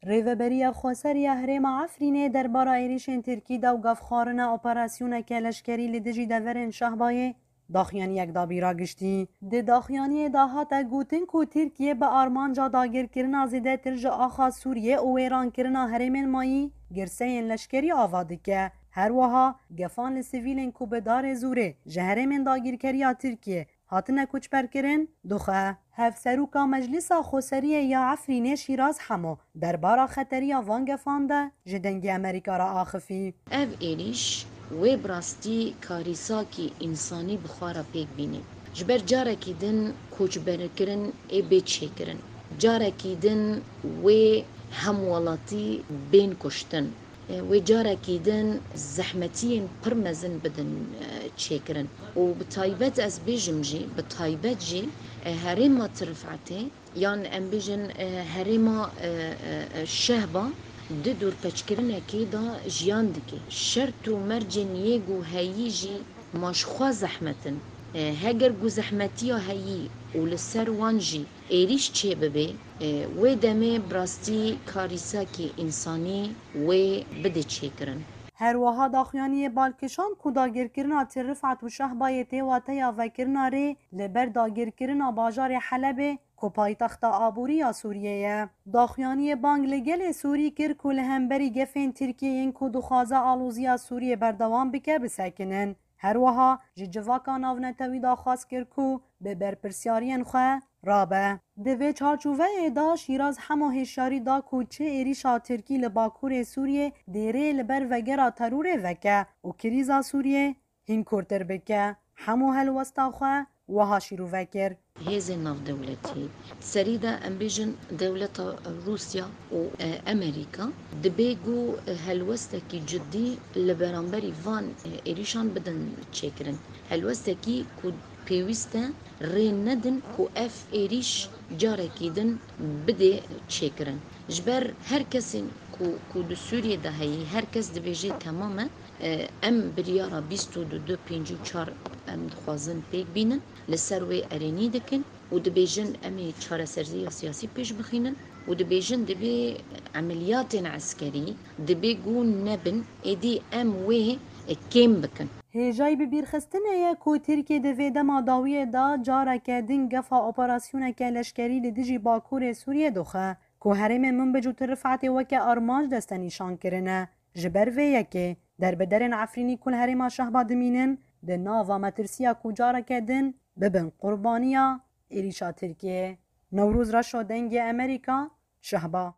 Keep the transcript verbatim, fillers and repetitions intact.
Rêveberiya Xweser ya Herêma Efrînê derbara êrîşên Tirkî de û gavxwarina operasyoneke leşkerî li dijî deverên Şehbayê daxuyaniyek da bîra giştî. Di daxuyaniyê de hate gotin ku Tirkiye bi armanca dagirkirina zêdetir ji axa Sûriyê û wêrankirina herêmên mayî girseyên leşkerî ava dike. Her wiha gefan li sivîlên ku bi darê zûrê ji herêmên dagirkeriya Tirkiye hatine koçberkirin, dixwe. Hevseroka Meclisa Xweseriyê ya Efrînê Şîraz Hemo derbara xeteriya van gefan de ji Dengê Amerîka re axifî. Ev êrîş wê bi rastî karîsakî însanî bi xwe re pêk bînî. Ji ber carekî din koçberkirin ê bê çêkirin. Carekî din wê hemwelatî bên kuştin. Wê carekî din zehmetiyên pir mezin bidin, e, çêkirin. Û bi taybet ez bêjim jî, bi taybet jî, e, herêma Tirifetê, yan em bêjin, e, herêma, e, e, e, Şehba di dorpeçkirinekê de jiyan dike. Şert û mercên yê ku heyî jî ma ji xwe zehmet in. E, heger ku zehmetiya heyî û li ser wan jî êrîş çêbibe, e, wê demê bi rastî karîsakî însanî wê bide çêkirin. Her wiha daxuyaniyê bal kişand ku dagirkirina Tirifet û Şehbayê tê wateya vekirina rê li ber dagirkirina bajarê Helebê ku paytexta aborî ya Sûriyê ye. Daxuyaniyê bang li gelê Sûrî kir ku li hemberî gefên Tirkiyê yên ku dixwaze aloziya Sûriyê berdewam bike bisekinin. Her wiha ji civaka navnetewî daxwaz kir ku bi berpirsyariyên xwe rabe. Di vê çarçoveyê de Şîraz Hemo hişyarî da ku çi êrîşa Tirkî li Bakurê Sûriyê dê rê li ber vegera terorê veke û krîza Sûriyê hîn kûrtir bike. Hemo helwesta xwe wiha şîrove kir. Hêzên navdewletî, serî de em bêjin dewleta Rûsya û, e, Amerîka, dibê ku helwestekî cidî li beramberî van, e, êrîşan bidin çêkirin. Helwestekî ku pêwîst e rê nedin ku ev êrîş carekî din bidê çêkirin. Ji ber her kesên ku, ku di Sûriyê de heyî, her kes dibêje temam e, e, em biryara bîst û du du pêncî û çar em dixwazin pêk bînin, li ser wê erênî dikin û dibêjin em ê çareseriya siyasî pêş bixînin û dibêjin divê emeliyatên eskerî dibê ku nebin, êdî em wê kêm bikin. Hêjayî bibîrxistinê ye ku Tirkiye di vê dema dawiyê de careke din gefa operasyoneke leşkerî li dijî Bakurê Sûriyê dixe, ku herêmên Minbic û Tirifetê weke armanc destenîşan kirine. Ji ber vê yekê, derbiderên Efrînî ku li herêma Şehba dimînin, di nava metirsiya ku careke din bibin qurbaniya êrîşa Tirkiyê. Newroz Reşo, Dengê Amerîka, Şehba.